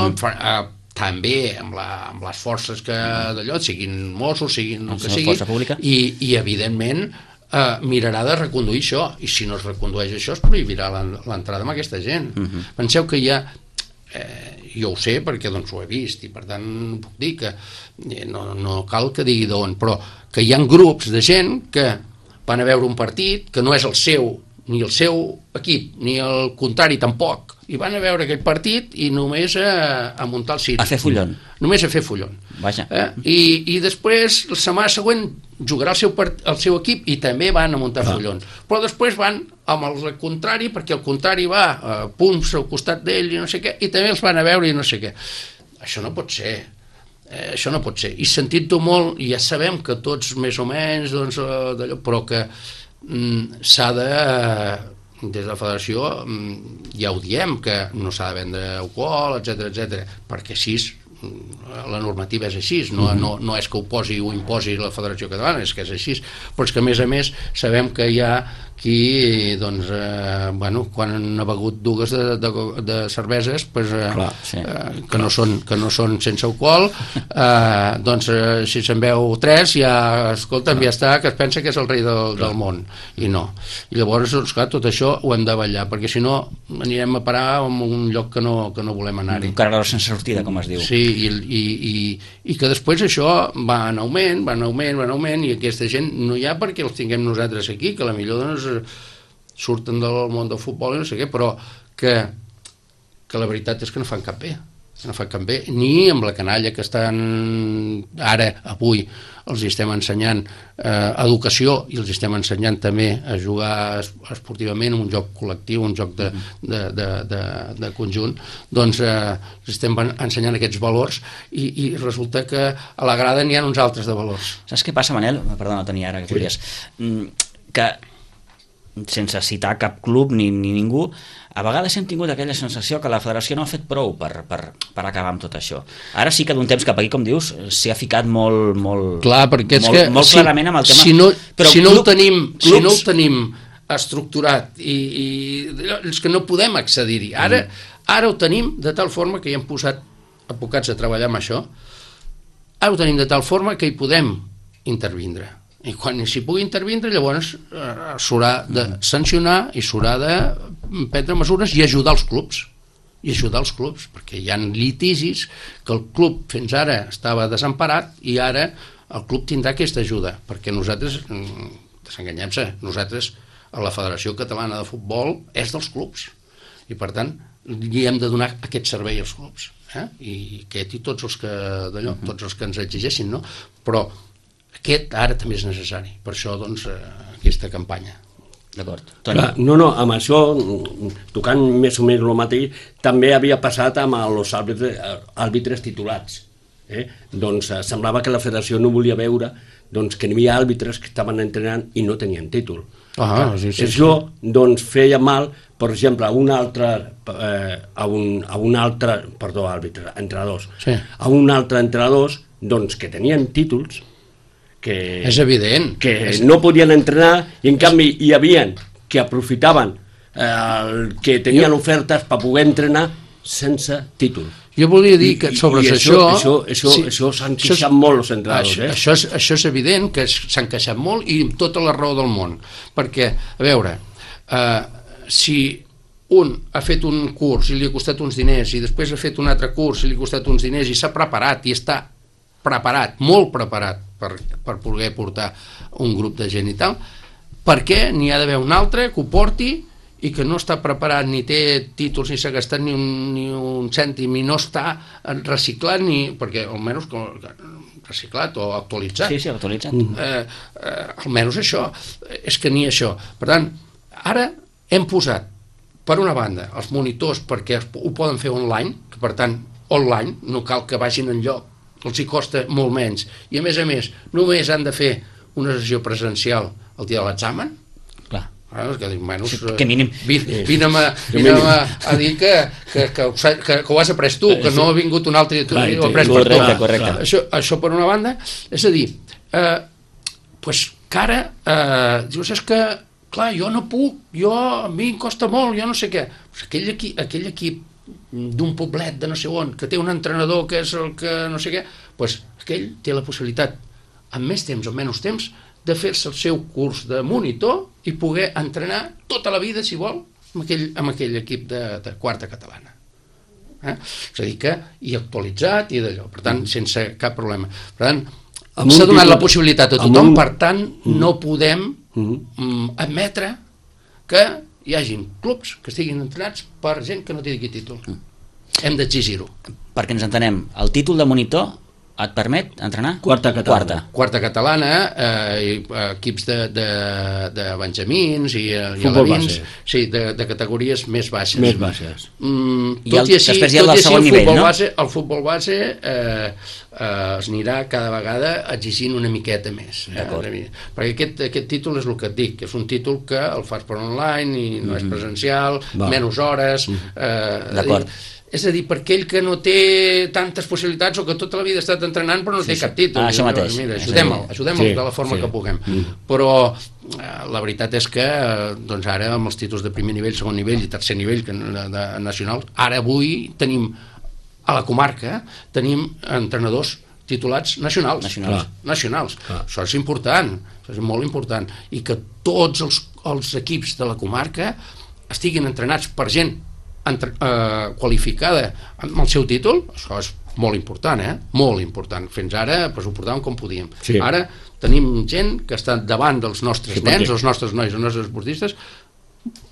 també amb les forces que d'allò, siguin Mossos, siguin el que sigui, i evidentment mirarà de reconduir això, i si no es recondueix això es prohibirà l'entrada amb aquesta gent. Penseu que hi ha, jo ho sé perquè doncs ho he vist i per tant puc dir que no cal que digui d'on, però que hi ha grups de gent que van a veure un partit que no és el seu, ni el seu equip, ni el contrari tampoc, i van a veure aquell partit i només a muntar el circ. A fer follon. Només a fer follon. Vaja. I després, la setmana següent, jugarà el seu equip i també van a muntar follons. Però després van amb el contrari, perquè el contrari va a punts al costat d'ell i no sé què, i també els van a veure i no sé què. Això no pot ser. Això no pot ser. I sentit-ho molt, i ja sabem que tots més o menys, doncs, d'allò, però que s'ha de... des de la federació ja ho diem, que no s'ha de vendre alcohol, etc, perquè així la normativa és així, no és que ho posi o imposi la Federació Catalana, és que és així, però és que a més sabem que hi ha qui, doncs, quan han begut dues de cerveses, que no són sense alcohol, doncs si se'n veu tres, ja, escolta'm, ja està, que es pensa que és el rei del món, i no. I llavors, clar, tot això ho hem de vetllar, perquè si no anirem a parar en un lloc que no volem anar-hi. Un carreró sense sortida, com es diu. Sí, i que després això va en augment, i aquesta gent no hi ha perquè els tinguem nosaltres aquí, que a la millor doncs surten del món del futbol i no sé què, però que la veritat és que no fan cap bé, ni amb la canalla que estan ara, avui, els estem ensenyant educació i els estem ensenyant també a jugar esportivament, un joc col·lectiu, un joc de conjunt, doncs els estem ensenyant aquests valors i resulta que a la grada n'hi ha uns altres de valors. Saps què passa, Manel? Perdona, Toni, ara que podries. Que sense citar cap club ni ningú, a vegades hem tingut aquella sensació que la federació no ha fet prou per acabar amb tot això. Ara sí que d'un temps cap aquí, com dius, s'hi ha ficat molt clar, perquè és que molt clarament amb el tema. Si no ho tenim estructurat i és que no podem accedir-hi. Ara ho tenim de tal forma que hi hem posat advocats a treballar amb això, ara ho tenim de tal forma que hi podem intervindre. I quan s'hi pugui intervindre, llavors s'haurà de sancionar i s'haurà de prendre mesures i ajudar els clubs, perquè hi ha litigis que el club fins ara estava desemparat i ara el club tindrà aquesta ajuda, perquè nosaltres, desenganyem-se, nosaltres a la Federació Catalana de Futbol és dels clubs i per tant li hem de donar aquest servei als clubs, i aquest i tots els que ens exigeixin, no? Però aquest ara també és necessari, per això doncs aquesta campanya. D'acord. No, amb això, tocant més o menys el mateix, també havia passat amb els àrbitres titulats. Doncs semblava que la federació no volia veure que hi havia àrbitres que estaven entrenant i no tenien títol. Això doncs feia mal, per exemple, a un altre entrenadors que tenien títols és evident que no podien entrenar i en canvi hi havia que aprofitaven que tenien ofertes per poder entrenar sense títol. Jo volia dir que sobre això s'han queixat molt els entrenadors. Això és evident que s'han queixat molt i amb tota la raó del món, perquè, a veure, si un ha fet un curs i li ha costat uns diners i després ha fet un altre curs i li ha costat uns diners i s'ha preparat i està preparat, molt preparat per poder portar un grup de gent i tal, per què n'hi ha d'haver un altre que ho porti i que no està preparat, ni té títols, ni s'ha gastat ni un cèntim, i no està reciclat, perquè almenys reciclat o actualitzat. Sí, actualitzat. Almenys això, és que ni això. Per tant, ara hem posat, per una banda, els monitors perquè ho poden fer online, que per tant, online, no cal que vagin enlloc, els hi costa molt menys, i a més només han de fer una sessió presencial el dia de l'examen, que dic, bueno, que mínim vine'm a dir que ho has après tu, que no ha vingut un altre i ho ha après per tu. Correcte. Això per una banda, és a dir, que ara dius, és que clar, jo no puc, a mi em costa molt, jo no sé què. Aquell equip d'un poblet de no sé on, que té un entrenador que és el que no sé què, aquell té la possibilitat, amb més temps o menys temps, de fer-se el seu curs de monitor i poder entrenar tota la vida, si vol, amb aquell equip de quarta catalana. És a dir que, i actualitzat i d'allò, per tant, sense cap problema. Per tant, s'ha donat la possibilitat a tothom, per tant, no podem admetre que hi hagin clubs que estiguin entrenats per gent que no tingui títol. Hem d'exigir-ho. Perquè ens entenem, el títol de monitor et permet entrenar? Quarta catalana. Quarta catalana, equips de benjamins i alevins, sí, de categories més baixes. Més baixes. Tot i així, el futbol base es anirà cada vegada exigint una miqueta més. Perquè aquest títol és el que et dic, que és un títol que el fas per online i no és presencial, menys hores. D'acord. És a dir, per aquell que no té tantes possibilitats o que tota la vida ha estat entrenant però no té cap títol. Això mateix. Mira, ajudem-lo de la forma que puguem. Però la veritat és que ara amb els títols de primer nivell, segon nivell i tercer nivell nacional, ara avui tenim a la comarca entrenadors titulats nacionals. Això és important, això és molt important. I que tots els equips de la comarca estiguin entrenats per gent qualificada amb el seu títol, això és molt important, molt important. Fins ara ho portàvem com podíem. Ara tenim gent que està davant dels nostres nens, els nostres nois, els nostres esportistes,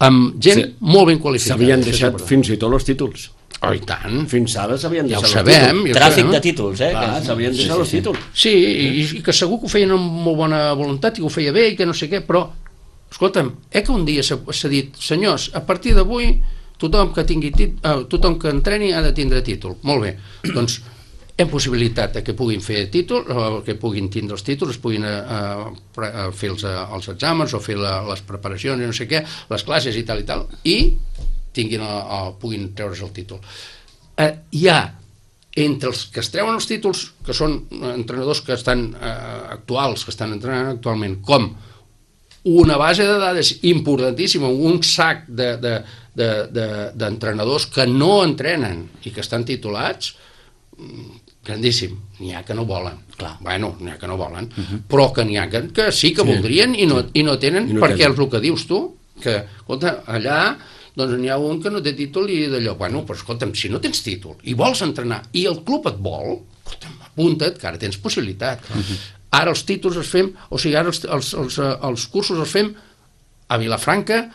amb gent molt ben qualificada. S'havien deixat fins i tot els títols. Oh, i tant. Fins ara s'havien deixat els títols. Tràfic de títols, s'havien deixat els títols. Sí, i que segur que ho feien amb molt bona voluntat i que ho feia bé i que no sé què, però, escolta'm, que un dia s'ha dit, senyors, a partir d'avui tothom que entreni ha de tindre títol. Molt bé, doncs hem possibilitat que puguin fer títol, que puguin tindre els títols, puguin fer els exàmens o fer les preparacions i no sé què, les classes i tal, i puguin treure's el títol. Hi ha entre els que es treuen els títols, que són entrenadors que estan actuals, que estan entrenant actualment, com una base de dades importantíssima, un sac d'entrenadors que no entrenen i que estan titulats, grandíssim. N'hi ha que no volen. N'hi ha que no volen, però que n'hi ha que sí que voldrien i no tenen, perquè és el que dius tu, que, escolta, allà doncs n'hi ha un que no té títol i d'allò, però escolta'm, si no tens títol i vols entrenar i el club et vol, escolta'm, apunta't, que ara tens possibilitat. Ara els títols els fem, o sigui, ara els cursos els fem a Vilafranca,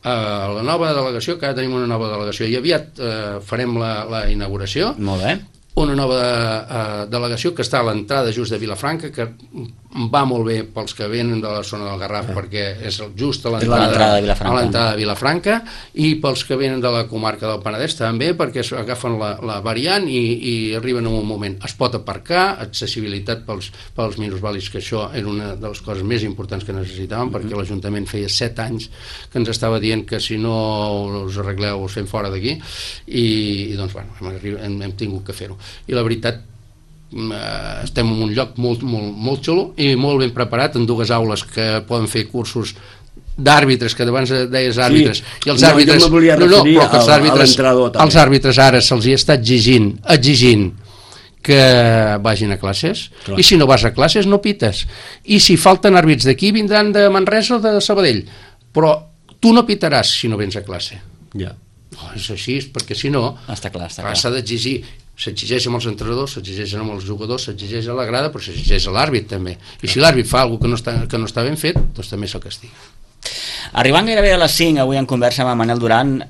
a la nova delegació, que ara tenim una nova delegació, i aviat farem la inauguració. Molt bé. Una nova delegació que està a l'entrada just de Vilafranca, que va molt bé pels que venen de la zona del Garraf, perquè és just a l'entrada de Vilafranca, i pels que venen de la comarca del Penedès també, perquè agafen la variant i arriben en un moment. Es pot aparcar, accessibilitat pels minusvàlids, que això era una de les coses més importants que necessitàvem, perquè l'Ajuntament feia 7 anys que ens estava dient que si no us arregleu us fem fora d'aquí, i doncs hem tingut que fer-ho. I la veritat, estem en un lloc molt xulo i molt ben preparat, en 2 aules que poden fer cursos d'àrbitres, que abans deies àrbitres, i els àrbitres, els àrbitres ara se'ls està exigint que vagin a classes, i si no vas a classes no pites, i si falten àrbits d'aquí vindran de Manresa o de Sabadell, però tu no pitaràs si no vens a classe. És així, perquè si no s'ha d'exigir. S'exigeix amb els entrenadors, s'exigeix amb els jugadors, s'exigeix a la grada, però s'exigeix a l'àrbit també. I si l'àrbit fa alguna cosa que no està ben fet, doncs també se'l castiga. Arribant gairebé a les 5, avui en conversa amb Manel Duran,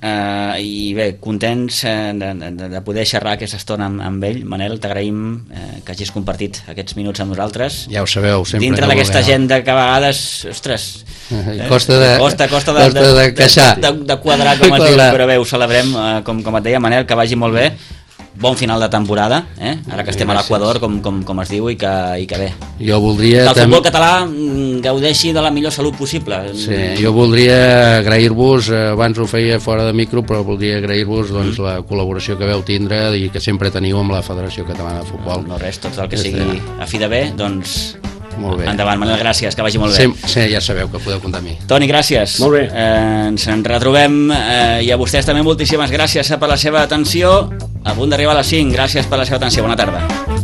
i bé, contents de poder xerrar aquesta estona amb ell. Manel, t'agraïm que hagis compartit aquests minuts amb nosaltres. Ja ho sabeu, sempre. Dintre d'aquesta agenda que a vegades, ostres, costa de quadrar com es diu, però bé, ho celebrem, com et deia Manel, que vagi molt bé. bon final de temporada, ara que estem a l'Equador, com es diu, i que bé. Jo voldria... Que el futbol català gaudeixi de la millor salut possible. Sí, jo voldria agrair-vos, abans ho feia fora de micro, però voldria agrair-vos doncs, la col·laboració que veu tindre i que sempre teniu amb la Federació Catalana de Futbol. No res, tot el que sigui a fi de bé, doncs... Molt bé. Endavant, Manel, gràcies, que vagi molt bé. Sí, ja sabeu que podeu comptar amb mi. Toni, gràcies. Molt bé. Ens en retrobem i a vostès també moltíssimes gràcies per la seva atenció. A punt d'arribar a les 5. Gràcies per la seva atenció. Bona tarda.